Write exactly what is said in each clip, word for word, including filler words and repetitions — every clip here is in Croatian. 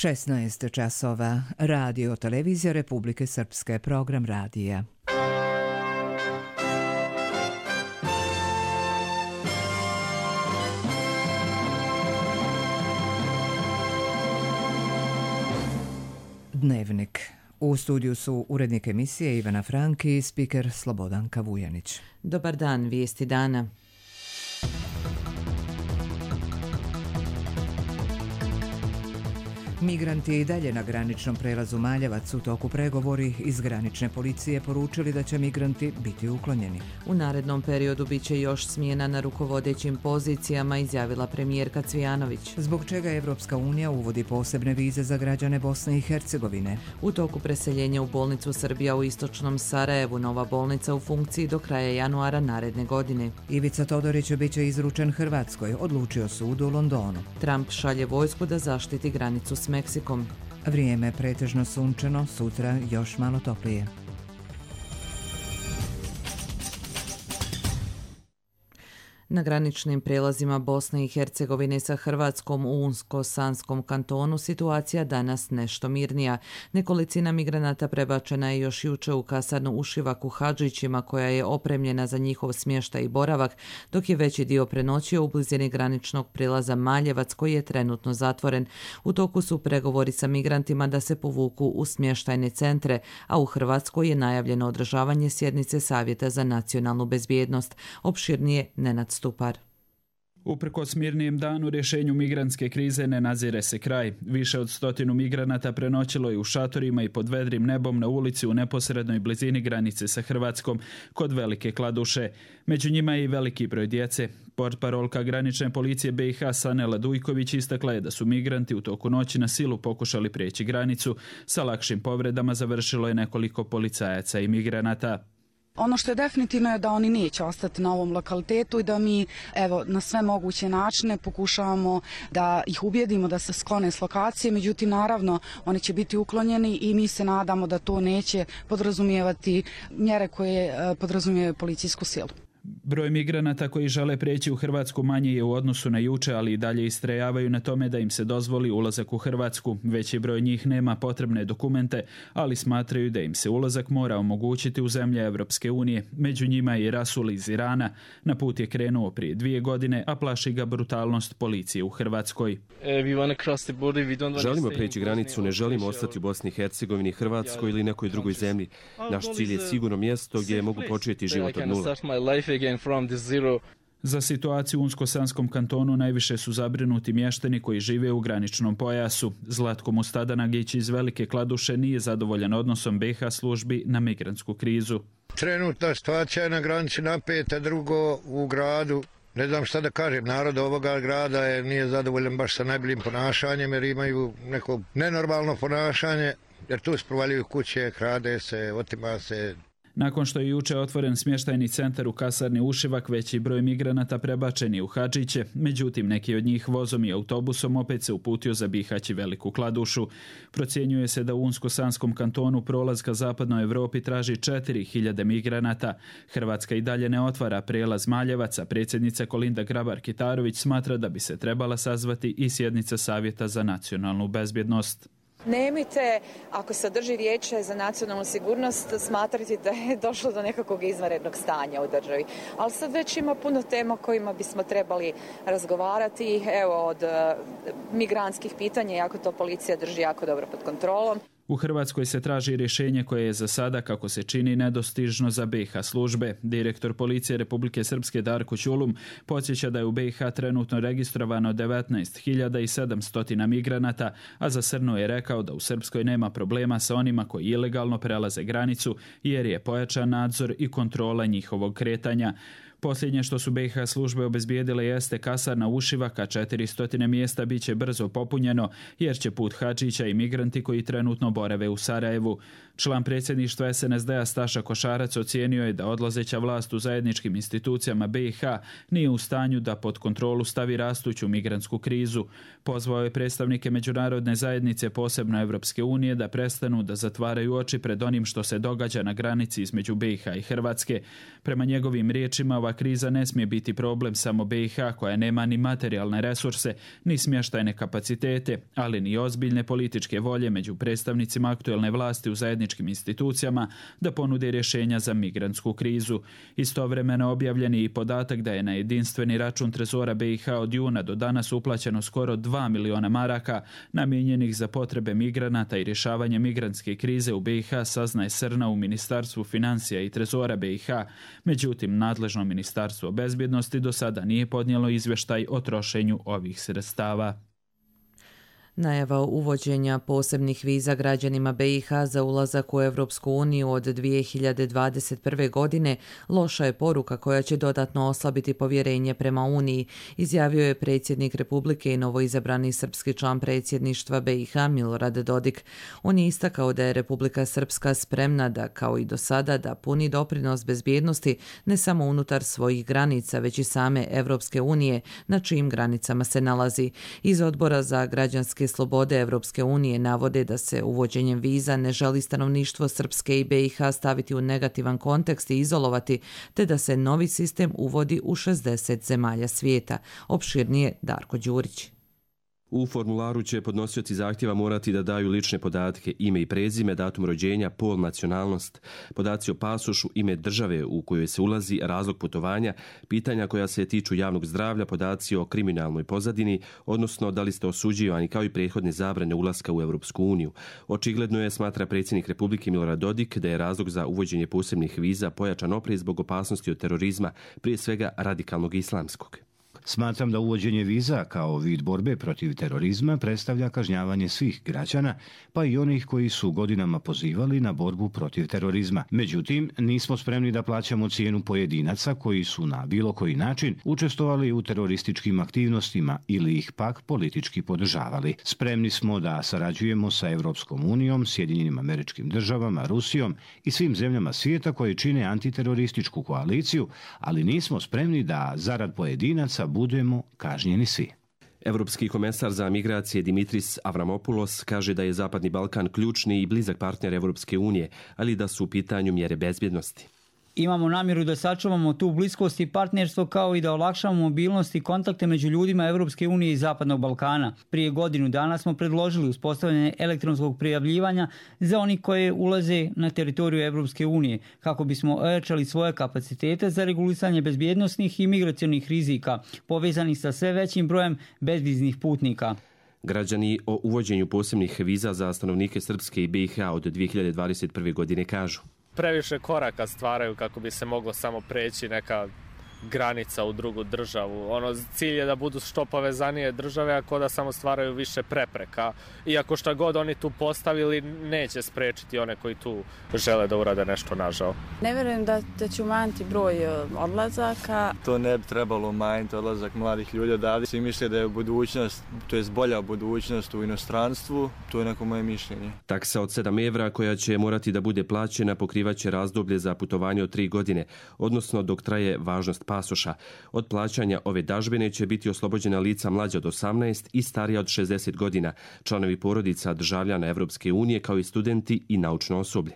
šesnaest časova. Radio Televizija Republike Srpske, program radija. Dnevnik. U studiju su urednik emisije Ivana Franki i spiker Slobodanka Vujanić. Dobar dan, vijesti dana. Migranti i dalje na graničnom prelazu Maljevac. U toku pregovori iz granične policije poručili da će migranti biti uklonjeni. U narednom periodu bit će još smjena na rukovodećim pozicijama, izjavila premijerka Cvijanović. Zbog čega Evropska unija uvodi posebne vize za građane Bosne i Hercegovine. U toku preseljenja u bolnicu Srbija u istočnom Sarajevu, nova bolnica u funkciji do kraja januara naredne godine. Ivica Todorić bit će izručen Hrvatskoj, odlučio sud u Londonu. Trump šalje vojsku da zaštiti granicu s Meksikom. Vrijeme pretežno sunčano, sutra još malo toplije. Na graničnim prijelazima Bosne i Hercegovine sa Hrvatskom u Unsko-Sanskom kantonu situacija danas nešto mirnija. Nekolicina migranata prebačena je još juče u kasarnu Ušivak u Hadžićima, koja je opremljena za njihov smještaj i boravak, dok je veći dio prenoćio u blizini graničnog prijelaza Maljevac, koji je trenutno zatvoren. U toku su pregovori sa migrantima da se povuku u smještajne centre, a u Hrvatskoj je najavljeno održavanje sjednice Savjeta za nacionalnu bezbjednost. Opširnije Nenad Stupar. Uprkos mirnijem danu rješenju migrantske krize ne nazire se kraj. Više od stotinu migranata prenoćilo je u šatorima i pod vedrim nebom na ulici u neposrednoj blizini granice sa Hrvatskom kod Velike Kladuše. Među njima je i veliki broj djece. Portparolka granične policije B i H Sanela Dujković istakla je da su migranti u toku noći na silu pokušali prijeći granicu. Sa lakšim povredama završilo je nekoliko policajaca i migranata. Ono što je definitivno je da oni neće ostati na ovom lokalitetu i da mi evo na sve moguće načine pokušavamo da ih ubijedimo da se sklone s lokacije, međutim naravno oni će biti uklonjeni i mi se nadamo da to neće podrazumijevati mjere koje podrazumijevaju policijsku silu. Broj migranata koji žele prijeći u Hrvatsku manji je u odnosu na juče, ali i dalje istrajavaju na tome da im se dozvoli ulazak u Hrvatsku. Veći broj njih nema potrebne dokumente, ali smatraju da im se ulazak mora omogućiti u zemlje Evropske unije. Među njima je i Rasul iz Irana. Na put je krenuo prije dvije godine, a plaši ga brutalnost policije u Hrvatskoj. Želimo preći granicu, ne želimo ostati u Bosni i Hercegovini, Hrvatskoj ili nekoj drugoj zemlji. Naš cilj je sigurno mjesto gdje mogu početi život od nule. Za situaciju u Unsko-Sanskom kantonu najviše su zabrinuti mještani koji žive u graničnom pojasu. Zlatko Mustadanagić iz Velike Kladuše nije zadovoljan odnosom B i H službi na migrantsku krizu. Trenutna situacija je na granici napeta, drugo u gradu. Ne znam šta da kažem, narod ovoga grada je, nije zadovoljan baš sa najboljim ponašanjem jer imaju neko nenormalno ponašanje, jer tu sprovaljuju kuće, krade se, otima se. Nakon što je juče otvoren smještajni centar u kasarni Ušivak, veći broj migranata prebačen je u Hadžiće, međutim neki od njih vozom i autobusom opet se uputio za Bihać i Veliku Kladušu. Procjenjuje se da u Unsko-Sanskom kantonu prolaz ka zapadnoj Evropi traži četiri hiljade migranata. Hrvatska i dalje ne otvara prijelaz Maljevac, a predsjednica Kolinda Grabar-Kitarović smatra da bi se trebala sazvati i sjednica Savjeta za nacionalnu bezbjednost. Nemojte, ako se održi vijeće za nacionalnu sigurnost, smatrati da je došlo do nekakvog izvanrednog stanja u državi. Ali sad već ima puno tema o kojima bismo trebali razgovarati. Evo, od migrantskih pitanja, jako to policija drži jako dobro pod kontrolom. U Hrvatskoj se traži rješenje koje je za sada, kako se čini, nedostižno za B i H službe. Direktor policije Republike Srpske Darko Ćulum podsjeća da je u B i H trenutno registrovano devetnaest hiljada sedamsto migranata, a za Srnu je rekao da u Srpskoj nema problema sa onima koji ilegalno prelaze granicu jer je pojačan nadzor i kontrola njihovog kretanja. Posljednje što su B i H službe obezbijedile jeste kasarna Ušivak, a četiristo mjesta bit će brzo popunjeno jer će put Hadžića i migranti koji trenutno borave u Sarajevu. Član predsjedništva S N S D-a Staša Košarac ocijenio je da odlazeća vlast u zajedničkim institucijama B i H nije u stanju da pod kontrolu stavi rastuću migrantsku krizu. Pozvao je predstavnike međunarodne zajednice, posebno Evropske unije, da prestanu da zatvaraju oči pred onim što se događa na granici između B i H i Hrvatske. Prema njegovim riječima, ova kriza ne smije biti problem samo B i H koja nema ni materijalne resurse, ni smještajne kapacitete, ali ni ozbiljne političke volje među predstavnicima aktuelne vlasti u zajedničkim institucijama da ponude rješenja za migrantsku krizu. Istovremeno objavljen je i podatak da je na jedinstveni račun Trezora B i H od juna do danas uplaćeno skoro dva miliona maraka namijenjenih za potrebe migranata i rješavanje migrantske krize u B i H, saznaje Srna u Ministarstvu financija i Trezora B i H. Međutim, nadležno Ministarstvo bezbjednosti do sada nije podnijelo izvještaj o trošenju ovih sredstava. Najava uvođenja posebnih viza građanima B i H za ulazak u Europsku uniju od dvije hiljade dvadeset prve. godine loša je poruka koja će dodatno oslabiti povjerenje prema Uniji, izjavio je predsjednik Republike i novoizabrani srpski član predsjedništva B i H Milorad Dodik. On je istakao da je Republika Srpska spremna da, kao i do sada, da puni doprinos bezbjednosti ne samo unutar svojih granica, već i same Europske unije, na čijim granicama se nalazi. Iz Odbora za građanske slobode Evropske unije navode da se uvođenjem viza ne želi stanovništvo Srpske i B i H staviti u negativan kontekst i izolovati, te da se novi sistem uvodi u šezdeset zemalja svijeta. Opširnije Darko Đurić. U formularu će podnosioci zahtjeva morati da daju lične podatke, ime i prezime, datum rođenja, pol, nacionalnost, podaci o pasošu, ime države u kojoj se ulazi, razlog putovanja, pitanja koja se tiču javnog zdravlja, podaci o kriminalnoj pozadini, odnosno da li ste osuđivani, kao i prethodne zabrane ulaska u Europsku uniju. Očigledno je, smatra predsjednik Republike Milorad Dodik, da je razlog za uvođenje posebnih viza pojačan oprez zbog opasnosti od terorizma, prije svega radikalnog islamskog. Smatram da uvođenje viza kao vid borbe protiv terorizma predstavlja kažnjavanje svih građana, pa i onih koji su godinama pozivali na borbu protiv terorizma. Međutim, nismo spremni da plaćamo cijenu pojedinaca koji su na bilo koji način učestvovali u terorističkim aktivnostima ili ih pak politički podržavali. Spremni smo da sarađujemo sa Europskom unijom, Sjedinjenim Američkim Državama, Rusijom i svim zemljama svijeta koje čine antiterorističku koaliciju, ali nismo spremni da zarad pojedinaca budemo kažnjeni svi. Evropski komesar za migracije Dimitris Avramopoulos kaže da je Zapadni Balkan ključni i blizak partner Evropske unije, ali da su u pitanju mjere bezbjednosti. Imamo namjeru da sačuvamo tu bliskost i partnerstvo kao i da olakšamo mobilnost i kontakte među ljudima Evropske unije i Zapadnog Balkana. Prije godinu dana smo predložili uspostavljanje elektronskog prijavljivanja za oni koji ulaze na teritoriju Evropske unije, kako bismo ojačali svoje kapacitete za regulisanje bezbjednosnih i migracionih rizika, povezanih sa sve većim brojem bezviznih putnika. Građani o uvođenju posebnih viza za stanovnike Srpske i B i H od dvije hiljade dvadeset prve. godine kažu: previše koraka stvaraju kako bi se moglo samo preći neka granica u drugu državu. Ono, cilj je da budu što povezanije države, ako da samo stvaraju više prepreka. Iako šta god oni tu postavili, neće sprečiti one koji tu žele da urade nešto nažao. Ne vjerujem da, da će umanjiti broj odlazaka. To ne bi trebalo umanjiti odlazak mladih ljudi odavde. Svi misle da je budućnost, to je bolja budućnost u inostranstvu, to je neko moje mišljenje. Taksa od sedam evra koja će morati da bude plaćena pokrivaće razdoblje za putovanje od tri godine, odnosno dok traje važnost pasoša. Od plaćanja ove dažbine će biti oslobođena lica mlađa od osamnaest i starija od šezdeset godina, članovi porodica državljana Evropske unije kao i studenti i naučno osoblje.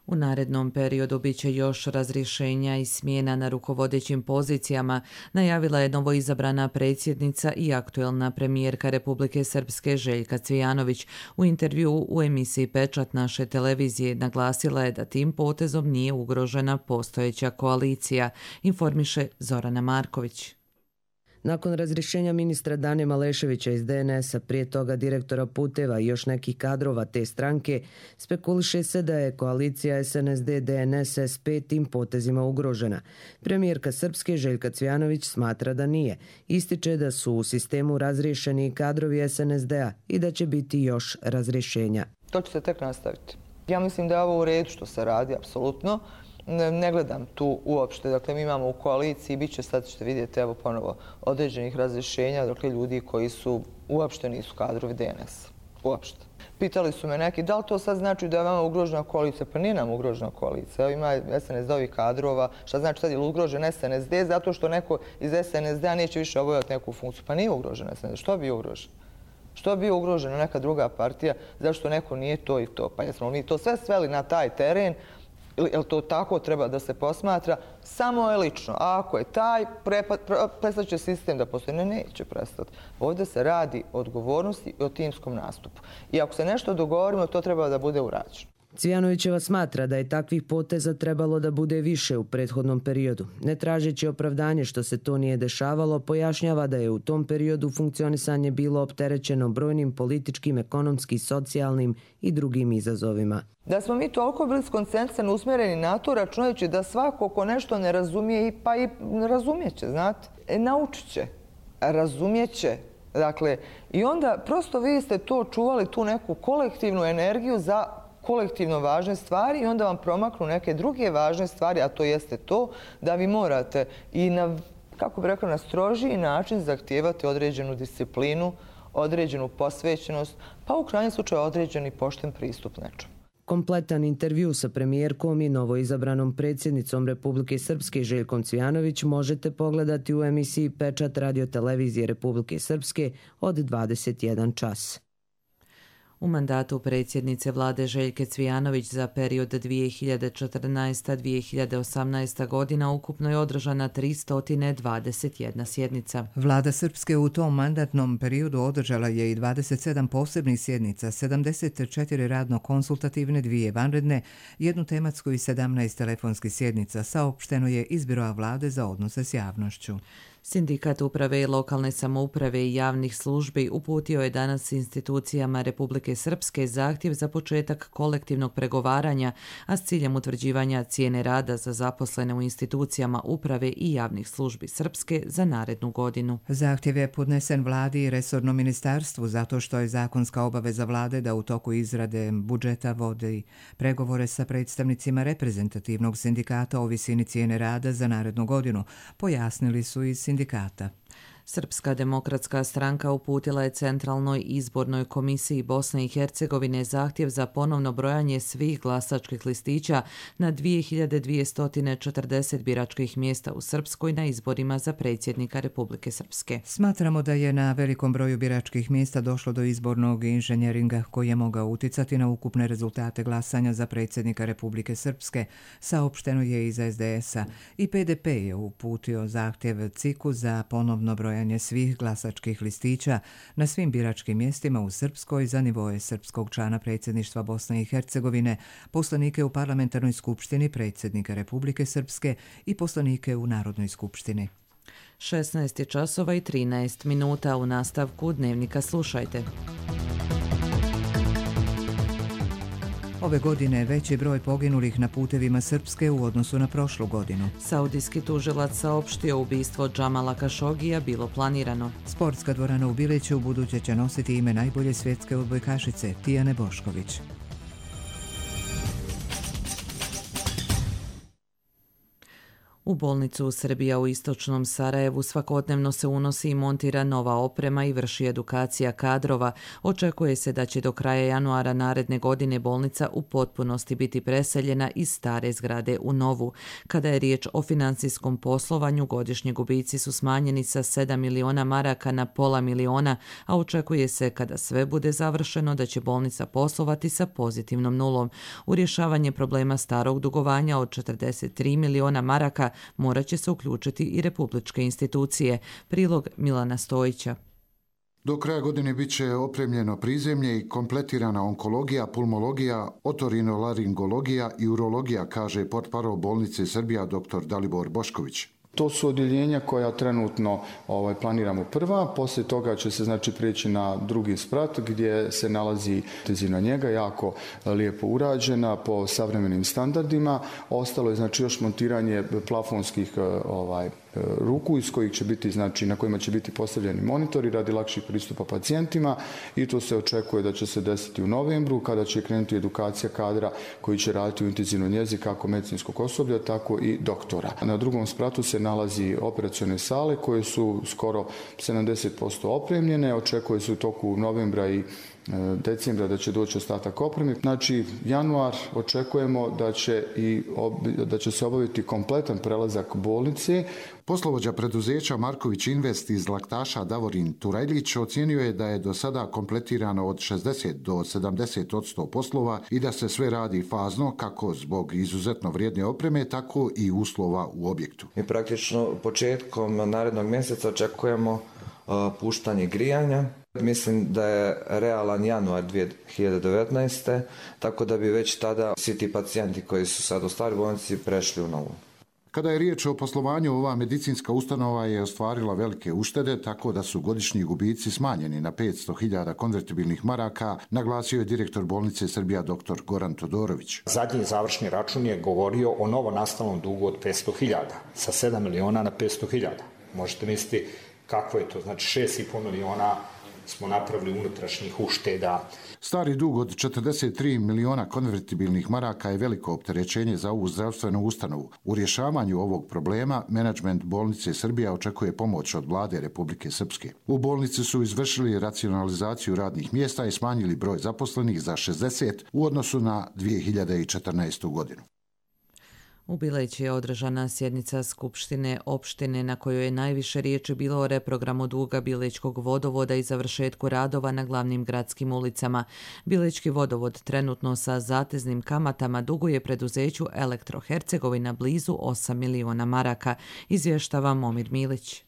U narednom periodu bit će još razrješenja i smjena na rukovodećim pozicijama, najavila je novoizabrana predsjednica i aktuelna premijerka Republike Srpske Željka Cvijanović. U intervjuu u emisiji Pečat naše televizije naglasila je da tim potezom nije ugrožena postojeća koalicija, informiše Zorana Marković. Nakon razrješenja ministra Dane Maleševića iz D N S-a, prije toga direktora puteva i još nekih kadrova te stranke, spekuliše se da je koalicija S N S D D N S S P tim potezima ugrožena. Premijerka Srpske Željka Cvijanović smatra da nije. Ističe da su u sistemu razriješeni kadrovi S N S D-a i da će biti još razrješenja. To će se tek nastaviti. Ja mislim da je ovo u redu što se radi, apsolutno. Ne gledam tu uopšte, dakle mi imamo u koaliciji, bit će, sad ćete vidjeti, evo ponovo, određenih razrješenja, dakle ljudi koji su uopšte nisu kadrovi D N S. Uopšte. Pitali su me neki, da li to sad znači da je vama ugrožena koalicija? Pa nije nam ugrožena koalicija. Evo ima S N S D-ovih kadrova, šta znači sad je ugrožen S N S D zato što neko iz S N S D-a neće više obavljati neku funkciju. Pa nije ugrožen S N S D. Što bi ugrožen? Što bi ugrožena neka druga partija? Zašto neko nije to i to? Pa jesmo mi to sve sveli na taj teren Jel to tako treba da se posmatra? Samo je lično. A ako je taj, prestat će sistem da postoji. Ne, neće prestati. Ovdje se radi o odgovornosti i o timskom nastupu. I ako se nešto dogovorimo, to treba da bude urađeno. Cvijanovićeva smatra da je takvih poteza trebalo da bude više u prethodnom periodu. Ne tražeći opravdanje što se to nije dešavalo, pojašnjava da je u tom periodu funkcionisanje bilo opterećeno brojnim političkim, ekonomskim, socijalnim i drugim izazovima. Da smo mi toliko bili skoncentrisani, usmjereni na to, računajući da svako ko nešto ne razumije, pa i razumjet će, znate, e, naučit će, razumjet će. Dakle, i onda prosto vi ste to čuvali, tu neku kolektivnu energiju za kolektivno važne stvari i onda vam promaknu neke druge važne stvari, a to jeste to da vi morate i na, kako bih rekao, na strožiji način zahtijevati određenu disciplinu, određenu posvećenost, pa u krajnjem slučaju određeni pošten pristup nečemu. Kompletan intervju sa premijerkom i novoizabranom predsjednicom Republike Srpske Željkom Cvijanović možete pogledati u emisiji Pečat radiotelevizije Republike Srpske od dvadeset jedan čas. U mandatu predsjednice vlade Željke Cvijanović za period dvije hiljade četrnaesta do dvije hiljade osamnaesta godina ukupno je održana tristo dvadeset jedna sjednica. Vlada Srpske u tom mandatnom periodu održala je i dvadeset sedam posebnih sjednica, sedamdeset četiri radno-konsultativne, dvije vanredne, jednu tematsku i sedamnaest telefonskih sjednica, saopšteno je iz Biroa vlade za odnose s javnošću. Sindikat uprave i lokalne samouprave i javnih službi uputio je danas institucijama Republike Srpske zahtjev za početak kolektivnog pregovaranja, a s ciljem utvrđivanja cijene rada za zaposlene u institucijama uprave i javnih službi Srpske za narednu godinu. Zahtjev je podnesen vladi i resornom ministarstvu zato što je zakonska obaveza vlade da u toku izrade budžeta vodi pregovore sa predstavnicima reprezentativnog sindikata o visini cijene rada za narednu godinu, pojasnili su iz sindikata. Srpska demokratska stranka uputila je Centralnoj izbornoj komisiji Bosne i Hercegovine zahtjev za ponovno brojanje svih glasačkih listića na dvije hiljade dvjesto četrdeset biračkih mjesta u Srpskoj na izborima za predsjednika Republike Srpske. Smatramo da je na velikom broju biračkih mjesta došlo do izbornog inženjeringa koji je mogao uticati na ukupne rezultate glasanja za predsjednika Republike Srpske, saopšteno je iz es de es a. I pe de pe je uputio zahtjev C I K-u za ponovno brojanje svih glasačkih listića na svim biračkim mjestima u Srpskoj za nivoje srpskog člana predsjedništva Bosne i Hercegovine, poslanike u parlamentarnoj skupštini predsjednika Republike Srpske i poslanike u Narodnoj skupštini. šesnaest časova i trinaest minuta. U nastavku Dnevnika slušajte. Ove godine veći broj poginulih na putevima Srpske u odnosu na prošlu godinu. Saudijski tužilac saopštio ubistvo Džamala Kašogija bilo planirano. Sportska dvorana u Biliću u buduće će nositi ime najbolje svjetske odbojkašice Tijane Bošković. U bolnicu u Srbija u istočnom Sarajevu svakodnevno se unosi i montira nova oprema i vrši edukacija kadrova. Očekuje se da će do kraja januara naredne godine bolnica u potpunosti biti preseljena iz stare zgrade u novu. Kada je riječ o financijskom poslovanju, godišnji gubici su smanjeni sa sedam miliona maraka na pola miliona, a očekuje se kada sve bude završeno da će bolnica poslovati sa pozitivnom nulom. U rješavanje problema starog dugovanja od četrdeset tri miliona maraka morat će se uključiti i republičke institucije. Prilog Milana Stojića. Do kraja godine bit će opremljeno prizemlje i kompletirana onkologija, pulmologija, otorinolaringologija i urologija, kaže portparol bolnice Srbija dr. Dalibor Bošković. To su odjeljenja koja trenutno ovaj, planiramo prva, poslije toga će se znači prijeći na drugi sprat gdje se nalazi intenzivna njega, jako lijepo urađena po savremenim standardima. Ostalo je znači još montiranje plafonskih ovaj, ruku iz kojih će biti, znači, na kojima će biti postavljeni monitori radi lakših pristupa pacijentima i to se očekuje da će se desiti u novembru kada će krenuti edukacija kadra koji će raditi u intenzivnoj njezi kako medicinskog osoblja, tako i doktora. Na drugom spratu se nalazi operacione sale koje su skoro sedamdeset posto opremljene, očekuje se u toku novembra i decembra da će doći ostatak opreme. Znači, januar očekujemo da će, i, da će se obaviti kompletan prelazak bolnice. Poslovođa preduzeća Marković Invest iz Laktaša Davorin Turajlić ocijenio je da je do sada kompletirano od šezdeset do sedamdeset odsto poslova i da se sve radi fazno kako zbog izuzetno vrijedne opreme, tako i uslova u objektu. Mi praktično početkom narednog mjeseca očekujemo uh, puštanje grijanja. Mislim da je realan januar dvije hiljade devetnaeste. tako da bi već tada svi ti pacijenti koji su sad u staroj bolnici prešli u novu. Kada je riječ o poslovanju, ova medicinska ustanova je ostvarila velike uštede, tako da su godišnji gubici smanjeni na petsto hiljada konvertibilnih maraka, naglasio je direktor bolnice Srbija dr. Goran Todorović. Zadnji završni račun je govorio o novonastalom dugu od petsto hiljada, sa sedam miliona na petsto hiljada. Možete misliti kako je to, znači šest i po miliona smo napravili unutrašnjih ušteda. Stari dug od četrdeset tri miliona konvertibilnih maraka je veliko opterećenje za ovu zdravstvenu ustanovu. U rješavanju ovog problema menadžment bolnice Srbija očekuje pomoć od vlade Republike Srpske. U bolnici su izvršili racionalizaciju radnih mjesta i smanjili broj zaposlenih za šezdeset u odnosu na dvije hiljade četrnaestu. godinu. U Bileći je održana sjednica Skupštine opštine na kojoj je najviše riječi bilo o reprogramu duga Bilećkog vodovoda i završetku radova na glavnim gradskim ulicama. Bilećki vodovod trenutno sa zateznim kamatama duguje preduzeću Elektro-Hercegovina blizu osam miliona maraka, izvještava Momir Milić.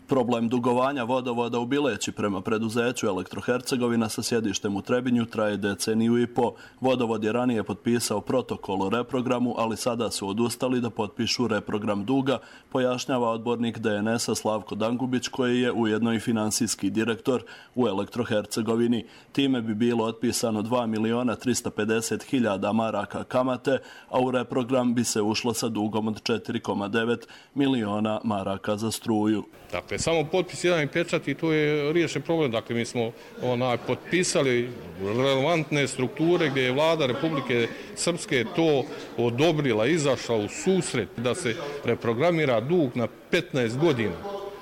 Problem dugovanja vodovoda u Bileći prema preduzeću Elektro-Hercegovina sa sjedištem u Trebinju traje deceniju i po. Vodovod je ranije potpisao protokol o reprogramu, ali sada su odustali da potpišu reprogram duga, pojašnjava odbornik D N S-a Slavko Dangubić, koji je ujedno i finansijski direktor u Elektro-Hercegovini. Time bi bilo otpisano dva miliona trista pedeset hiljada maraka kamate, a u reprogram bi se ušlo sa dugom od četiri zarez devet miliona maraka za struju. Dakle, samo potpis jedan i pečat i to je riješen problem. Dakle, mi smo onaj, potpisali relevantne strukture gdje je vlada Republike Srpske to odobrila, izašla u susret da se reprogramira dug na petnaest godina.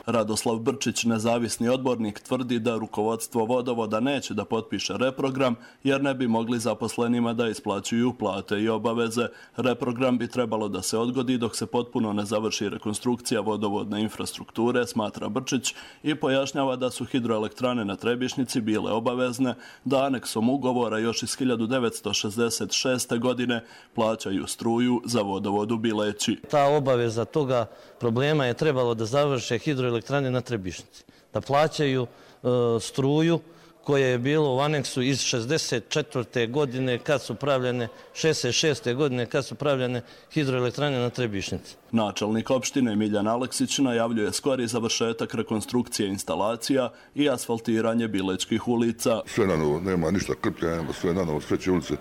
Radoslav Brčić, nezavisni odbornik, tvrdi da rukovodstvo vodovoda neće da potpiše reprogram jer ne bi mogli zaposlenima da isplaćuju plate i obaveze. Reprogram bi trebalo da se odgodi dok se potpuno ne završi rekonstrukcija vodovodne infrastrukture, smatra Brčić, i pojašnjava da su hidroelektrane na Trebišnjici bile obavezne da aneksom ugovora još iz hiljadu devetsto šezdeset šeste. godine plaćaju struju za vodovod u Bileći. Ta obaveza toga problema je trebalo da završe hidroelektrane elektrane na Trebišnjici, da plaćaju e, struju koja je bilo u aneksu iz šezdeset četvrte. godine kad su pravljene, šezdeset šeste. godine kad su pravljene hidroelektrane na Trebišnjici. Načelnik opštine Miljan Aleksić najavljuje skori završetak rekonstrukcije instalacija i asfaltiranje bilećkih ulica. Sve na novo, nema ništa krpljanja, sve na novo, sve će ulice.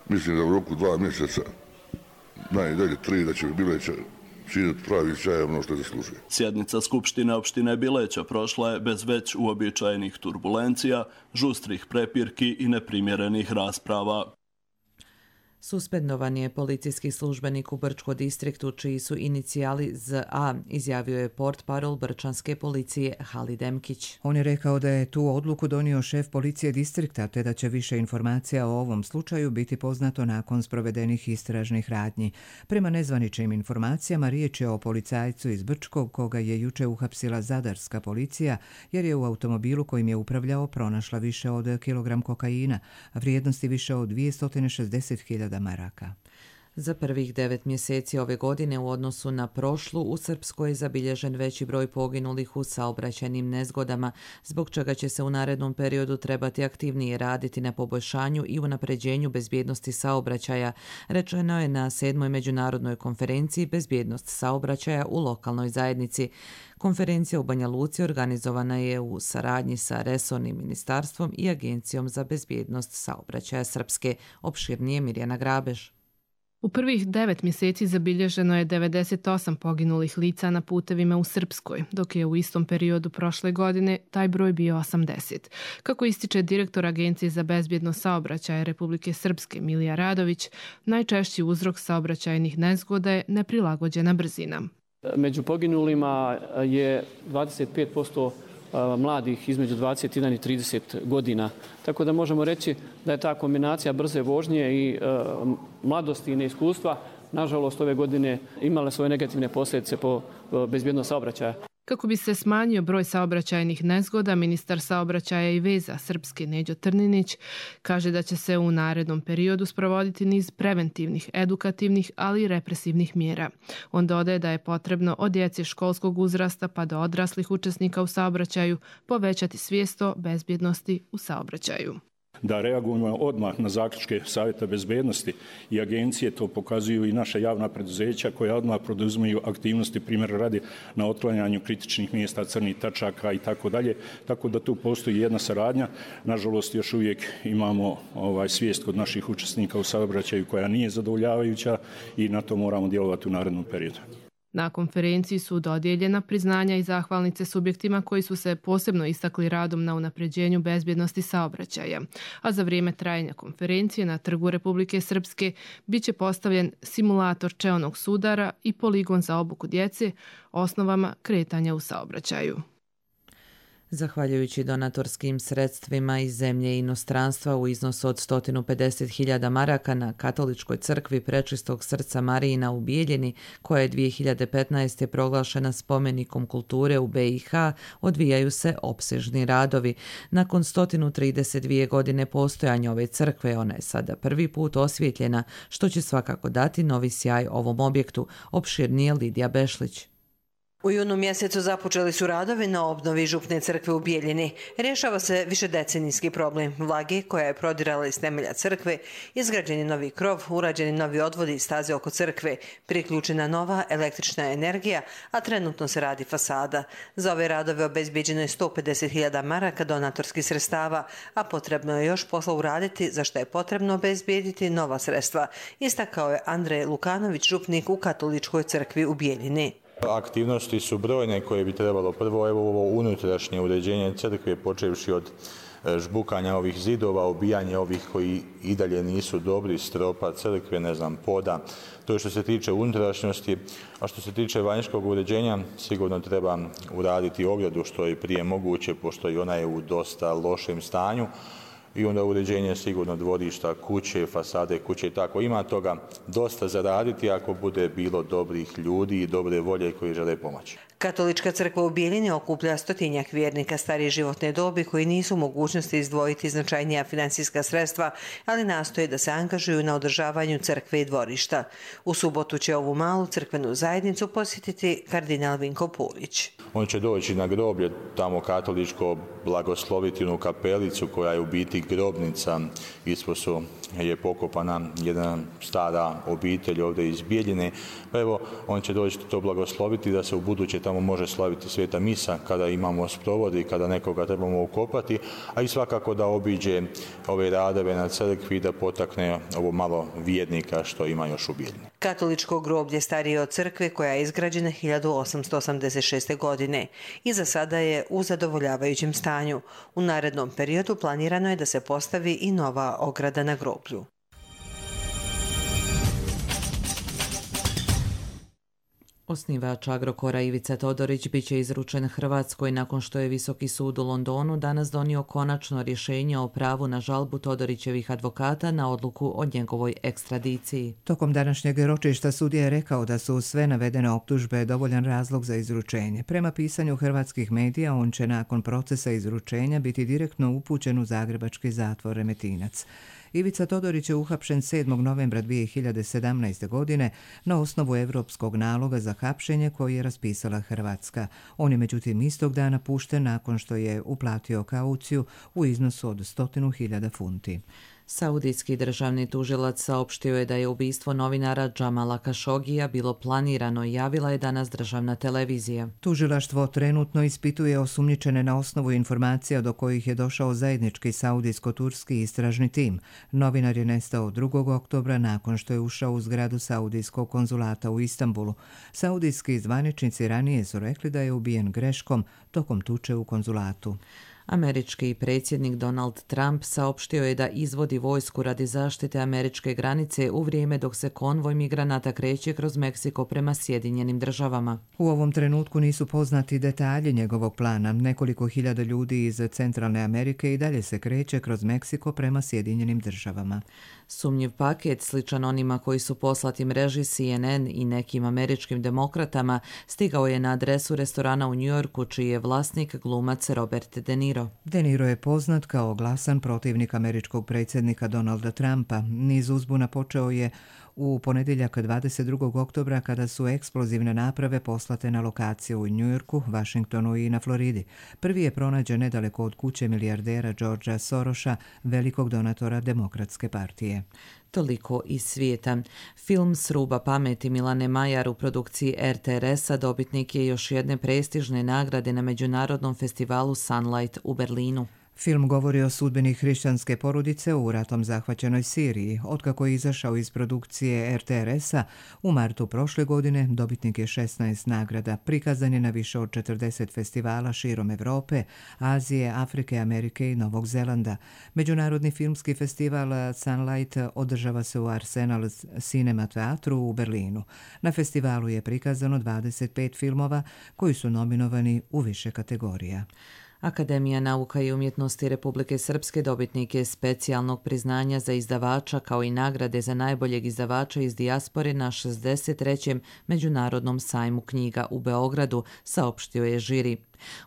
Mislim da u roku dva mjeseca, najdalje tri, da će Bileća činiti pravi čaj ono što je zaslužuje. Sjednica Skupštine opštine Bileća prošla je bez već uobičajenih turbulencija, žustrih prepirki i neprimjerenih rasprava. Suspendovan je policijski službenik u Brčko distriktu čiji su inicijali Z A, izjavio je portparol brčanske policije Halid Emkić. On je rekao da je tu odluku donio šef policije distrikta te da će više informacija o ovom slučaju biti poznato nakon sprovedenih istražnih radnji. Prema nezvaničnim informacijama riječ je o policajcu iz Brčkog koga je juče uhapsila zadarska policija jer je u automobilu kojim je upravljao pronašla više od kilogram kokaina, a vrijednosti više od dvjesto šezdeset hiljada maraka. Za prvih devet mjeseci ove godine u odnosu na prošlu u Srpskoj je zabilježen veći broj poginulih u saobraćajnim nezgodama, zbog čega će se u narednom periodu trebati aktivnije raditi na poboljšanju i unapređenju bezbjednosti saobraćaja, rečeno je na sedmoj međunarodnoj konferenciji Bezbjednost saobraćaja u lokalnoj zajednici. Konferencija u Banja Luci organizovana je u saradnji sa resornim ministarstvom i Agencijom za bezbjednost saobraćaja Srpske. Opširnije Mirjana Grabež. U prvih devet mjeseci zabilježeno je devedeset osam poginulih lica na putevima u Srpskoj, dok je u istom periodu prošle godine taj broj bio osamdeset. Kako ističe direktor Agencije za bezbjednost saobraćaja Republike Srpske Milija Radović, najčešći uzrok saobraćajnih nezgoda je neprilagođena brzina. Među poginulima je dvadeset pet posto mladih između dvadeset jedan i trideset godina. Tako da možemo reći da je ta kombinacija brze vožnje i mladosti i neiskustva nažalost ove godine imale svoje negativne posljedice po bezbjednost saobraćaja. Kako bi se smanjio broj saobraćajnih nezgoda, ministar saobraćaja i veza Srpske Neđo Trninić kaže da će se u narednom periodu sprovoditi niz preventivnih, edukativnih, ali i represivnih mjera. On dodaje da je potrebno od djece školskog uzrasta pa do odraslih učesnika u saobraćaju povećati svijest o bezbjednosti u saobraćaju. Da reagujemo odmah na zaključke Savjeta bezbednosti i agencije, to pokazuju i naša javna preduzeća koja odmah poduzimaju aktivnosti, primjer radi na otklanjanju kritičnih mjesta, crnih tačaka i tako dalje. Tako da tu postoji jedna saradnja. Nažalost, još uvijek imamo ovaj, svijest kod naših učesnika u saobraćaju koja nije zadovoljavajuća i na to moramo djelovati u narednom periodu. Na konferenciji su dodijeljena priznanja i zahvalnice subjektima koji su se posebno istakli radom na unapređenju bezbjednosti saobraćaja. A za vrijeme trajanja konferencije na Trgu Republike Srpske biće postavljen simulator čeonog sudara i poligon za obuku djece osnovama kretanja u saobraćaju. Zahvaljujući donatorskim sredstvima iz zemlje i inostranstva u iznosu od sto pedeset hiljada maraka na Katoličkoj crkvi Prečistog srca Marijina u Bijeljini, koja je dvije hiljade petnaeste. proglašena spomenikom kulture u be i ha, odvijaju se opsežni radovi. Nakon sto trideset dvije godine postojanja ove crkve, ona je sada prvi put osvjetljena, što će svakako dati novi sjaj ovom objektu, opširnije Lidija Bešlić. U junu mjesecu započeli su radovi na obnovi župne crkve u Bijeljini. Rješava se višedecenijski problem vlage koja je prodirala iz temelja crkve, izgrađen je novi krov, urađeni novi odvodi i staze oko crkve, priključena nova električna energija, a trenutno se radi fasada. Za ove radove obezbijeđeno je sto pedeset hiljada maraka donatorskih sredstava, a potrebno je još posla uraditi, za što je potrebno obezbijediti nova sredstva, istakao je Andrej Lukanović, župnik u Katoličkoj crkvi u Bijeljini. Aktivnosti su brojne koje bi trebalo. Prvo, evo ovo unutrašnje uređenje crkve, počevši od žbukanja ovih zidova, obijanje ovih koji i dalje nisu dobri, stropa crkve, ne znam, poda. To je što se tiče unutrašnjosti, a što se tiče vanjskog uređenja, sigurno treba uraditi ogradu što je prije moguće, pošto i ona je u dosta lošem stanju. I onda uređenje sigurno dvorišta, kuće, fasade kuće i tako. Ima toga dosta zaraditi ako bude bilo dobrih ljudi i dobre volje koji žele pomoći. Katolička crkva u Bijeljini okuplja stotinjak vjernika starije životne dobi koji nisu u mogućnosti izdvojiti značajnija financijska sredstva, ali nastoje da se angažuju na održavanju crkve i dvorišta. U subotu će ovu malu crkvenu zajednicu posjetiti kardinal Vinko Pulić. On će doći na groblje, tamo katoličko, blagosloviti onu kapelicu koja je u biti grobnica. Ispod su je pokopana jedna stara obitelj ovdje iz Bijeljine. Pa evo, on će doći to blagosloviti da se u buduće tamo može slaviti sveta misa kada imamo sprovodi, kada nekoga trebamo ukopati, a i svakako da obiđe ove radove na crkvi da potakne ovo malo vjernika što ima još u Bijeljini. Katoličko groblje starije od crkve koja je izgrađena hiljadu osamsto osamdeset šeste. godine i za sada je u zadovoljavajućem stanju. U narednom periodu planirano je da se postavi i nova ograda na groblju. Osnivač Agrokora Ivica Todorić biće izručen Hrvatskoj nakon što je Visoki sud u Londonu danas donio konačno rješenje o pravu na žalbu Todorićevih advokata na odluku o njegovoj ekstradiciji. Tokom današnjeg ročišta sudija je rekao da su sve navedene optužbe dovoljan razlog za izručenje. Prema pisanju hrvatskih medija, on će nakon procesa izručenja biti direktno upućen u zagrebački zatvor Remetinac. Ivica Todorić je uhapšen sedmog novembra dvije hiljade sedamnaeste. godine na osnovu europskog naloga za hapšenje koji je raspisala Hrvatska. On je međutim istog dana pušten nakon što je uplatio kauciju u iznosu od stotinu hiljada funti. Saudijski državni tužilac saopštio je da je ubistvo novinara Džamala Kašogija bilo planirano, javila je danas državna televizija. Tužilaštvo trenutno ispituje osumnjičene na osnovu informacija do kojih je došao zajednički saudijsko-turski istražni tim. Novinar je nestao drugog oktobra nakon što je ušao u zgradu saudijskog konzulata u Istanbulu. Saudijski zvaničnici ranije su rekli da je ubijen greškom tokom tuče u konzulatu. Američki predsjednik Donald Trump saopštio je da izvodi vojsku radi zaštite američke granice u vrijeme dok se konvoj migranata kreće kroz Meksiko prema Sjedinjenim državama. U ovom trenutku nisu poznati detalji njegovog plana. Nekoliko hiljada ljudi iz Centralne Amerike i dalje se kreće kroz Meksiko prema Sjedinjenim državama. Sumnjiv paket, sličan onima koji su poslati mreži C N N i nekim američkim demokratama, stigao je na adresu restorana u Njujorku, čiji je vlasnik glumac Robert De Niro. De Niro je poznat kao glasan protivnik američkog predsjednika Donalda Trumpa. Niz uzbuna počeo je u ponedjeljak dvadeset drugog oktobra kada su eksplozivne naprave poslate na lokaciju u Njujorku, Vašingtonu i na Floridi. Prvi je pronađen nedaleko od kuće milijardera Georgea Sorosa, velikog donatora Demokratske partije. Toliko iz svijeta. Film Sruba pameti Milane Majar u produkciji R T R S-a dobitnik je još jedne prestižne nagrade na međunarodnom festivalu Sunlight u Berlinu. Film govori o sudbini hrišćanske porodice u ratom zahvaćenoj Siriji. Otkako je izašao iz produkcije R T R S-a u martu prošle godine, dobitnik je šesnaest nagrada. Prikazan je na više od četrdeset festivala širom Evrope, Azije, Afrike, Amerike i Novog Zelanda. Međunarodni filmski festival Sunlight održava se u Arsenal Cinema teatru u Berlinu. Na festivalu je prikazano dvadeset pet filmova koji su nominovani u više kategorija. Akademija nauka i umjetnosti Republike Srpske dobitnik je specijalnog priznanja za izdavača kao i nagrade za najboljeg izdavača iz dijaspore na šezdeset trećem Međunarodnom sajmu knjiga u Beogradu, saopštio je žiri.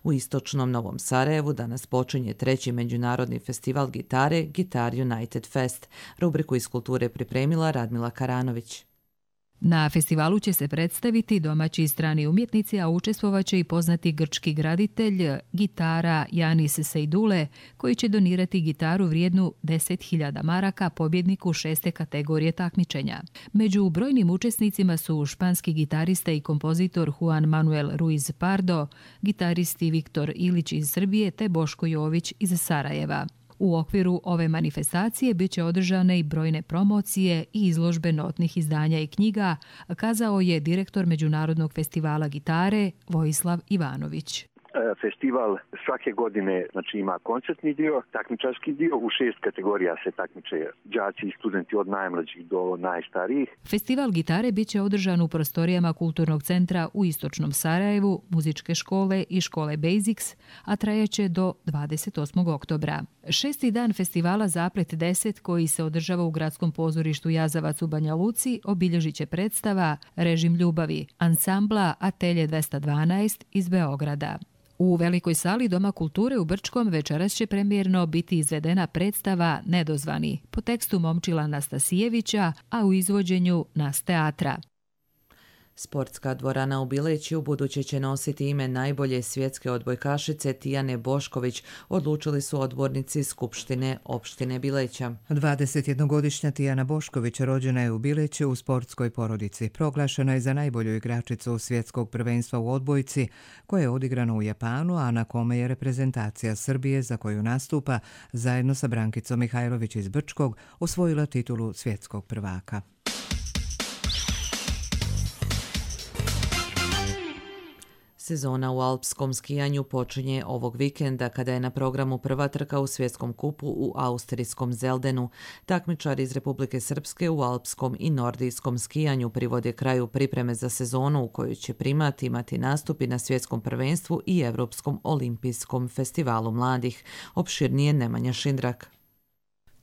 U istočnom Novom Sarajevu danas počinje treći međunarodni festival gitare Guitar United Fest. Rubriku iz kulture pripremila Radmila Karanović. Na festivalu će se predstaviti domaći i strani umjetnici, a učestvovaće i poznati grčki graditelj gitara Janis Sejdule, koji će donirati gitaru vrijednu deset hiljada maraka pobjedniku šeste kategorije takmičenja. Među brojnim učesnicima su španski gitarista i kompozitor Juan Manuel Ruiz Pardo, gitaristi Viktor Ilić iz Srbije te Boško Jović iz Sarajeva. U okviru ove manifestacije bit će održane i brojne promocije i izložbe notnih izdanja i knjiga, kazao je direktor Međunarodnog festivala gitare Vojislav Ivanović. Festival svake godine znači, ima koncertni dio, takmičarski dio, u šest kategorija se takmiče đaci i studenti od najmlađih do najstarijih. Festival gitare bit će održan u prostorijama Kulturnog centra u Istočnom Sarajevu, muzičke škole i škole Basics, a trajeće do dvadeset osmog oktobra. Šesti dan festivala Zaplet deset, koji se održava u Gradskom pozorištu Jazavac u Banja Luci, obilježit će predstava Režim ljubavi, ansambla Atelje dvesta dvanaest iz Beograda. U velikoj sali Doma kulture u Brčkom večeras će premijerno biti izvedena predstava Nedozvani po tekstu Momčila Nastasijevića, a u izvođenju Nas teatra. Sportska dvorana u Bileći u buduće će nositi ime najbolje svjetske odbojkašice Tijane Bošković, odlučili su odbornici Skupštine opštine Bileća. dvadesetjednogodišnja Tijana Bošković rođena je u Bileću u sportskoj porodici. Proglašena je za najbolju igračicu svjetskog prvenstva u odbojci, koje je odigrano u Japanu, a na kome je reprezentacija Srbije, za koju nastupa, zajedno sa Brankicom Mihajlović iz Brčkog, osvojila titulu svjetskog prvaka. Sezona u alpskom skijanju počinje ovog vikenda kada je na programu prva trka u svjetskom kupu u austrijskom Zeldenu. Takmičari iz Republike Srpske u alpskom i nordijskom skijanju privode kraju pripreme za sezonu u kojoj će primat imati nastupi na svjetskom prvenstvu i Evropskom olimpijskom festivalu mladih. Opširnije Nemanja Šindrak.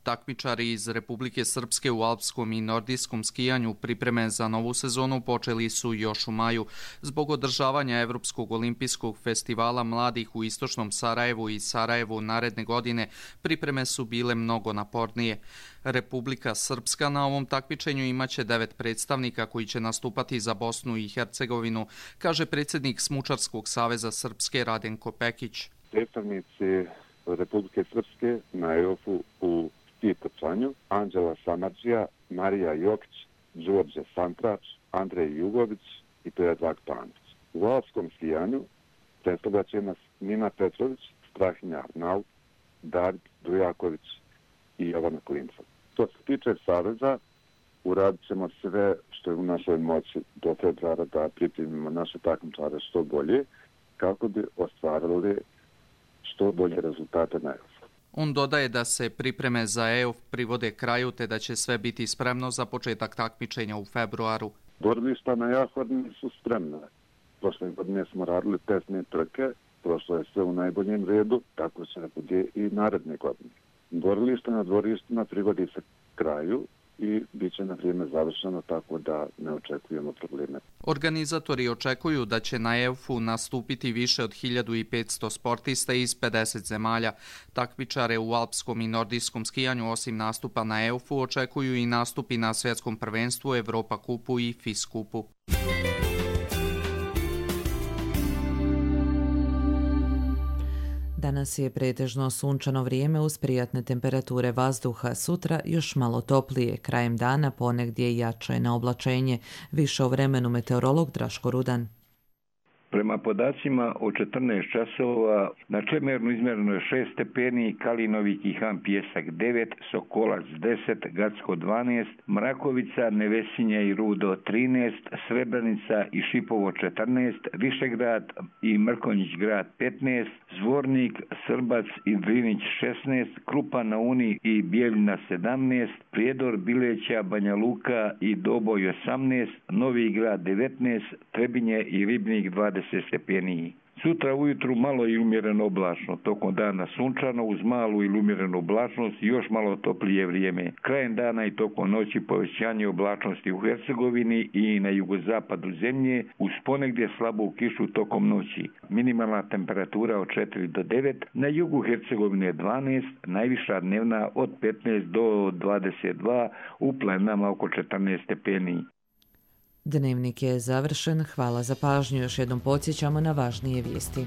Takmičari iz Republike Srpske u alpskom i nordijskom skijanju pripreme za novu sezonu počeli su još u maju. Zbog održavanja Evropskog olimpijskog festivala mladih u istočnom Sarajevu i Sarajevu naredne godine, pripreme su bile mnogo napornije. Republika Srpska na ovom takmičenju imaće devet predstavnika koji će nastupati za Bosnu i Hercegovinu, kaže predsjednik Smučarskog saveza Srpske Radenko Pekić. Predstavnici Republike Srpske na E O F-u u ski trčanju, Anđela Samarđija, Marija Jokić, Đorđe Santrač, Andrej Jugović i Predrag Panić. U alpskom skijanju predstavlja će nas Nina Petrović, Strahinja Arnaut, Darid Dujaković i Jovana Klinca. Što se tiče saveza, uradit ćemo sve što je u našoj moći do februara da pripremimo naše takmičare što bolje, kako bi ostvarili što bolje rezultate na EUFU. On dodaje da se pripreme za E U F privode kraju te da će sve biti spremno za početak takmičenja u februaru. Borilišta na Jahorni su spremne. Prošle godine smo radili testne trke, prošlo je sve u najboljem redu, tako će ne bude i naredne godine. Borilišta na dvorištima privodi se kraju i bit će na vrijeme završeno, tako da ne očekujemo probleme. Organizatori očekuju da će na E U F-u nastupiti više od hiljadu petsto sportista iz pedeset zemalja. Takmičare u alpskom i nordijskom skijanju osim nastupa na E U F-u očekuju i nastupi na svjetskom prvenstvu, Europa kupu i F I S kupu. Danas je pretežno sunčano vrijeme uz prijatne temperature vazduha. Sutra još malo toplije, krajem dana ponegdje jače na oblačenje. Više o vremenu meteorolog Draško Rudan. Prema podacima o četrnaest časova na Čemernu izmjereno je šest stepeni, Kalinovik i Han Pjesak devet, Sokolac deset, Gacko dvanaest, Mrakovica, Nevesinja i Rudo trinaest, Srebrenica i Šipovo četrnaest, Višegrad i Mrkonjić grad petnaest, Zvornik, Srbac i Drinić šesnaest, Krupa na Uni i Bijeljina sedamnaest, Prijedor, Bileća, Banja Luka i Doboj osamnaest, Novi grad devetnaest, Trebinje i Ribnik dvadeset stepeni. Sutra ujutru malo i umjereno oblačno, tokom dana sunčano uz malu ili umjerenu oblačnost i još malo toplije vrijeme. Krajem dana i tokom noći povećanje oblačnosti u Hercegovini i na jugozapadu zemlje uz ponegdje slabu kišu tokom noći. Minimalna temperatura od četiri do devet, na jugu Hercegovine dvanaest, najviša dnevna od petnaest do dvadeset dva, u planinama oko četrnaest stepeni. Dnevnik je završen. Hvala za pažnju. Još jednom podsjećamo na važnije vijesti.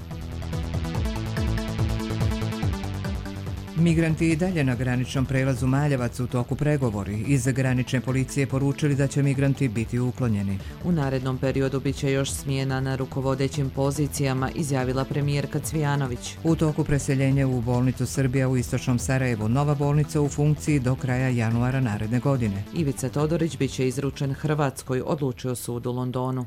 Migranti i dalje na graničnom prelazu Maljevac u toku pregovori. Iz granične policije poručili da će migranti biti uklonjeni. U narednom periodu bit će još smjena na rukovodećim pozicijama, izjavila premijerka Cvijanović. U toku preseljenja u bolnicu Srbija u istočnom Sarajevu, nova bolnica u funkciji do kraja januara naredne godine. Ivica Todorić bit će izručen Hrvatskoj, odlučio sud u Londonu.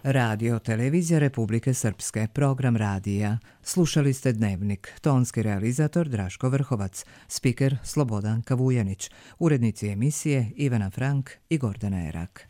Radio Televizija Republike Srpske, program radija. Slušali ste Dnevnik, tonski realizator Draško Vrhovac, spiker Slobodan Kavujanić, urednici emisije Ivana Frank i Gordana Erak.